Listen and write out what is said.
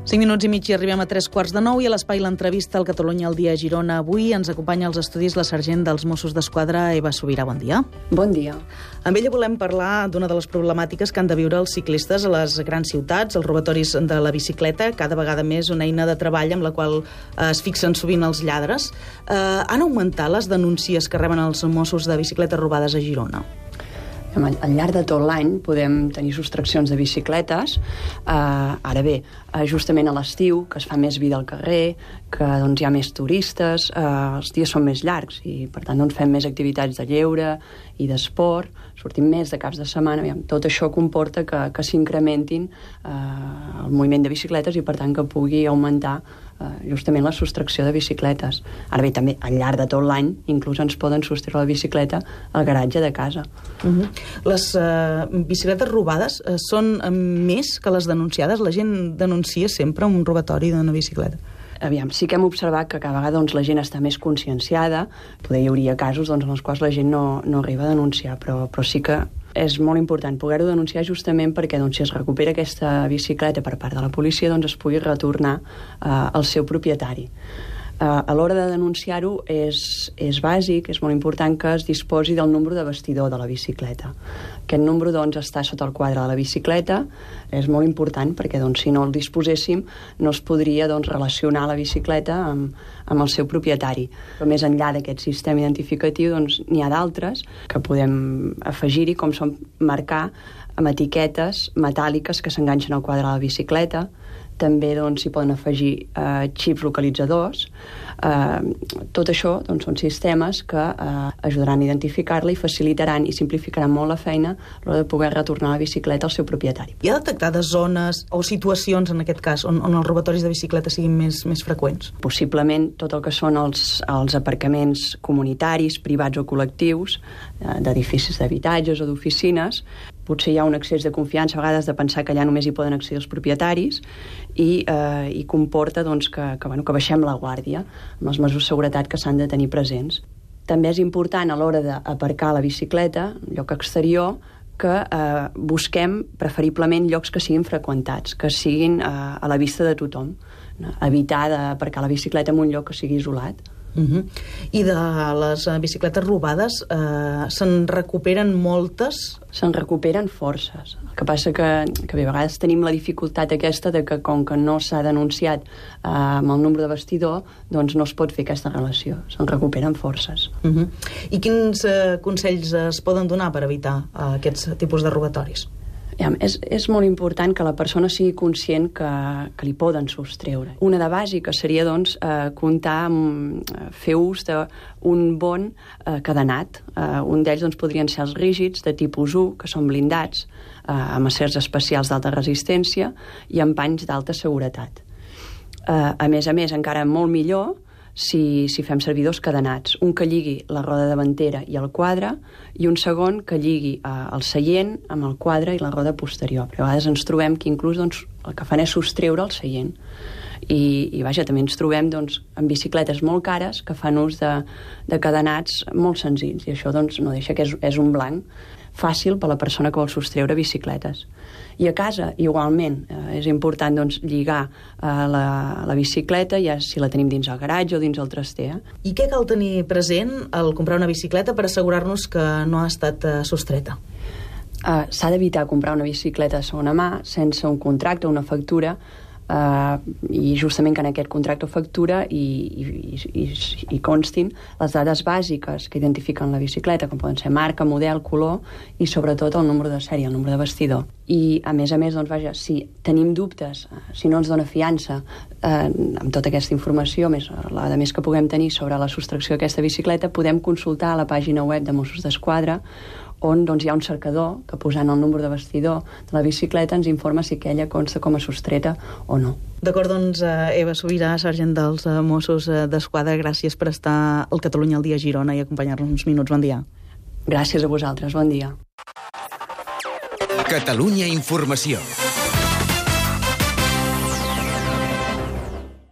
5 minuts i mig i arribem a 3:15 i a l'espai l'entrevista al Catalunya al dia a Girona. Avui ens acompanya als estudis la sergent dels Mossos d'Esquadra, Eva Sobirà. Bon dia. Bon dia. Amb ella volem parlar d'una de les problemàtiques que han de viure els ciclistes a les grans ciutats, els robatoris de la bicicleta, cada vegada més una eina de treball amb la qual es fixen sovint els lladres. Han augmentat les denúncies que reben els Mossos de bicicletes robades a Girona? Al llarg de tot l'any podem tenir sostraccions de bicicletes. Ara bé, justament a l'estiu, que es fa més vida al carrer, que hi ha més turistes, els dies són més llargs i per tant fem més activitats de lleure i d'esport, sortim més de caps de setmana. Tot això comporta que s'incrementin el moviment de bicicletes i per tant que pugui augmentar justament la sostracció de bicicletes. Ara bé, també al llarg de tot l'any inclús ens poden sostreure la bicicleta al garatge de casa. Les bicicletes robades són més que les denunciades? La gent denuncia sempre un robatori d'una bicicleta? Sí que hem observat que cada vegada la gent està més conscienciada. Poder hi hauria casos en els quals la gent no arriba a denunciar, però sí que és molt important poder-ho denunciar justament perquè si es recupera aquesta bicicleta per part de la policia es pugui retornar al seu propietari. A l'hora de denunciar-ho és bàsic, és molt important que es disposi del número de bastidor de la bicicleta. Aquest número està sota el quadre de la bicicleta, és molt important perquè si no el disposéssim no es podria relacionar la bicicleta amb el seu propietari. Però més enllà d'aquest sistema identificatiu n'hi ha d'altres que podem afegir-hi, com són marcar amb etiquetes metàl·liques que s'enganxen al quadre de la bicicleta. També s'hi poden afegir xips localitzadors. Tot això són sistemes que ajudaran a identificar-la i facilitaran i simplificaran molt la feina a l'hora de poder retornar la bicicleta al seu propietari. Hi ha detectades zones o situacions, en aquest cas, on els robatoris de bicicleta siguin més freqüents? Possiblement tot el que són els aparcaments comunitaris, privats o col·lectius, d'edificis d'habitatges o d'oficines. Potser hi ha un excés de confiança a vegades de pensar que allà només hi poden accedir els propietaris i comporta que baixem la guàrdia amb les mesures de seguretat que s'han de tenir presents. També és important a l'hora d'aparcar la bicicleta, lloc exterior, que busquem preferiblement llocs que siguin freqüentats, que siguin a la vista de tothom. Evitar d'aparcar la bicicleta en un lloc que sigui isolat. I de les bicicletes robades se'n recuperen moltes? Se'n recuperen forces. El que passa que a vegades tenim la dificultat aquesta de que com que no s'ha denunciat amb el número de bastidor, no es pot fer aquesta relació. Se'n recuperen forces. I quins consells es poden donar per evitar aquests tipus de robatoris? És molt important que la persona sigui conscient que li poden sostreure. Una de bàsiques seria fer ús d'un bon cadenat. Un d'ells podrien ser els rígids de tipus 1, que són blindats amb acers especials d'alta resistència i amb panys d'alta seguretat. A més, encara molt millor si fem servir dos cadenats, un que lligui la roda davantera i el quadre i un segon que lligui el seient amb el quadre i la roda posterior. Però a vegades ens trobem que inclús el que fan és sostreure el seient. I també ens trobem amb bicicletes molt cares que fan ús de cadenats molt senzills i això no deixa que és un blanc fàcil per a la persona que vol sostreure bicicletes. I a casa, igualment, és important lligar la bicicleta, ja si la tenim dins el garatge o dins el traster. I què cal tenir present al comprar una bicicleta per assegurar-nos que no ha estat sostreta? S'ha d'evitar comprar una bicicleta de segona mà sense un contracte o una factura i justament que en aquest contracte o factura hi constin les dades bàsiques que identifiquen la bicicleta, com poden ser marca, model, color i sobretot el número de sèrie, el número de bastidor. I a més, si tenim dubtes, si no ens dona fiança amb tota aquesta informació, la de més que puguem tenir sobre la sostracció d'aquesta bicicleta, podem consultar a la pàgina web de Mossos d'Esquadra on hi ha un cercador que posant el número de bastidor de la bicicleta ens informa si aquella consta com a sostreta o no. D'acord, Eva Sobirà, sergent dels Mossos d'Esquadra, gràcies per estar al Catalunya al dia a Girona i acompanyar-nos uns minuts. Bon dia. Gràcies a vosaltres, bon dia. Catalunya Informació.